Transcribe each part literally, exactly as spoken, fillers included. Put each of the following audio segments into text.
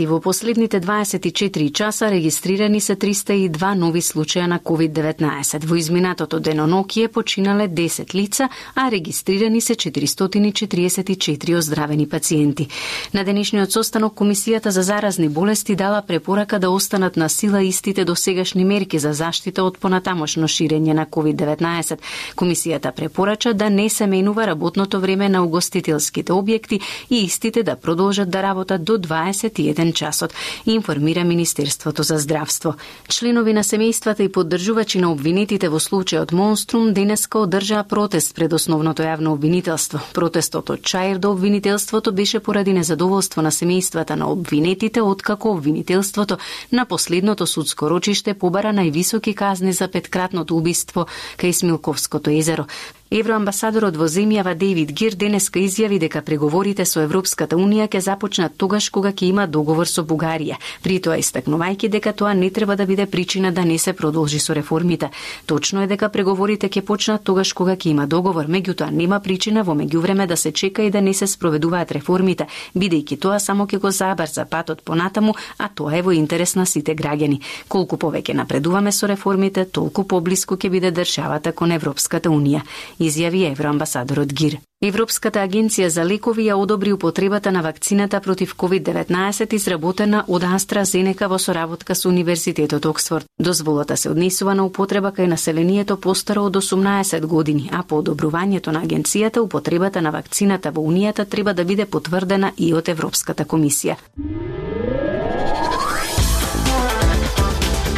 И во последните дваесет и четири часа регистрирани се триста и два нови случаја на ковид деветнаесет. Во изминатото денонокие починале десет лица, а регистрирани се четиристотини и четиридесет и четири оздравени пациенти. На денешниот состанок Комисијата за заразни болести дала препорака да останат на сила истите досегашни мерки за заштита од понатамошно ширење на ковид деветнаесет. Комисијата препорача да не се менува работното време на угостителските објекти и истите да продолжат да работат до дваесет и еден часот, информира Министерството за здравство. Членови на семејствата и поддржувачи на обвинетите во случајот Монструм денеска одржаа протест пред основното јавно обвинителство. Протестот од чаир до обвинителството беше поради незадоволство на семејствата на обвинетите, откако обвинителството на последното судско рочиште побара највисоки казни за петкратното убиство кај Смилковското езеро. Евроамбасадорот во земјава Дејвид Гир денеска изјави дека преговорите со Европската Унија ќе започнат тогаш кога ќе има договор со Бугарија. При тоа истакнувајќи дека тоа не треба да биде причина да не се продолжи со реформите. Точно е дека преговорите ќе почнат тогаш кога ќе има договор, меѓутоа нема причина во меѓувреме да се чека и да не се спроведуваат реформите, бидејќи тоа само ќе го забрза патот понатаму, а тоа е во интерес на сите граѓани. Колку повеќе напредуваме со реформите, толку поблиску ќе биде државата кон Европската Унија, изјави евроамбасадорот Гир. Европската агенција за лекови ја одобри употребата на вакцината против ковид деветнаесет изработена од AstraZeneca во соработка со Универзитетот Оксфорд. Дозволата се однесува на употреба кај населението постаро од осумнаесет години, а по одобрувањето на агенцијата употребата на вакцината во Унијата треба да биде потврдена и од Европската комисија.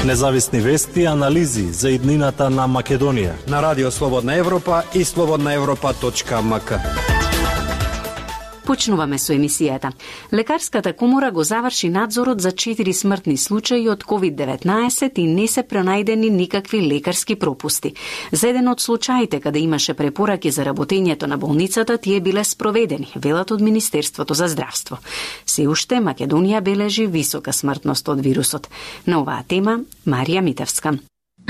Независни вести и анализи за иднината на Македонија на Радио Слободна Европа и слободна европа точка ем ка. Почнуваме со емисијата. Лекарската комора го заврши надзорот за четири смртни случаи од ковид деветнаесет и не се пронајдени никакви лекарски пропусти. За еден од случаите каде имаше препораки за работењето на болницата, тие биле спроведени, велат од Министерството за здравство. Се уште Македонија бележи висока смртност од вирусот. На оваа тема Марија Митевска.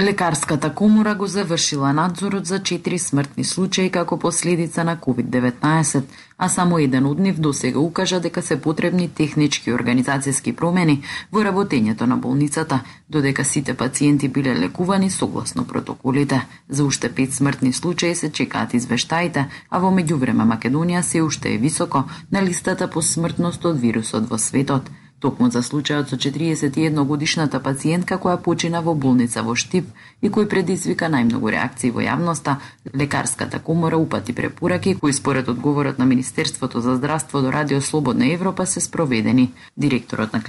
Лекарската комора го завршила надзорот за четири смртни случаи како последица на ковид деветнаесет, а само еден од нив досега укажа дека се потребни технички и организацијски промени во работењето на болницата, додека сите пациенти биле лекувани согласно протоколите. За уште пет смртни случаи се чекаат извештаите, а во меѓувреме Македонија се уште е високо на листата по смртност од вирусот во светот. Токму за случајот со четириесет и една годишната пациентка која почина во болница во Штип и кој предизвика најмногу реакции во јавноста, Лекарската комора упати препораки кои според одговорот на Министерството за здравство до Радио Слободна Европа се спроведени. Директорот на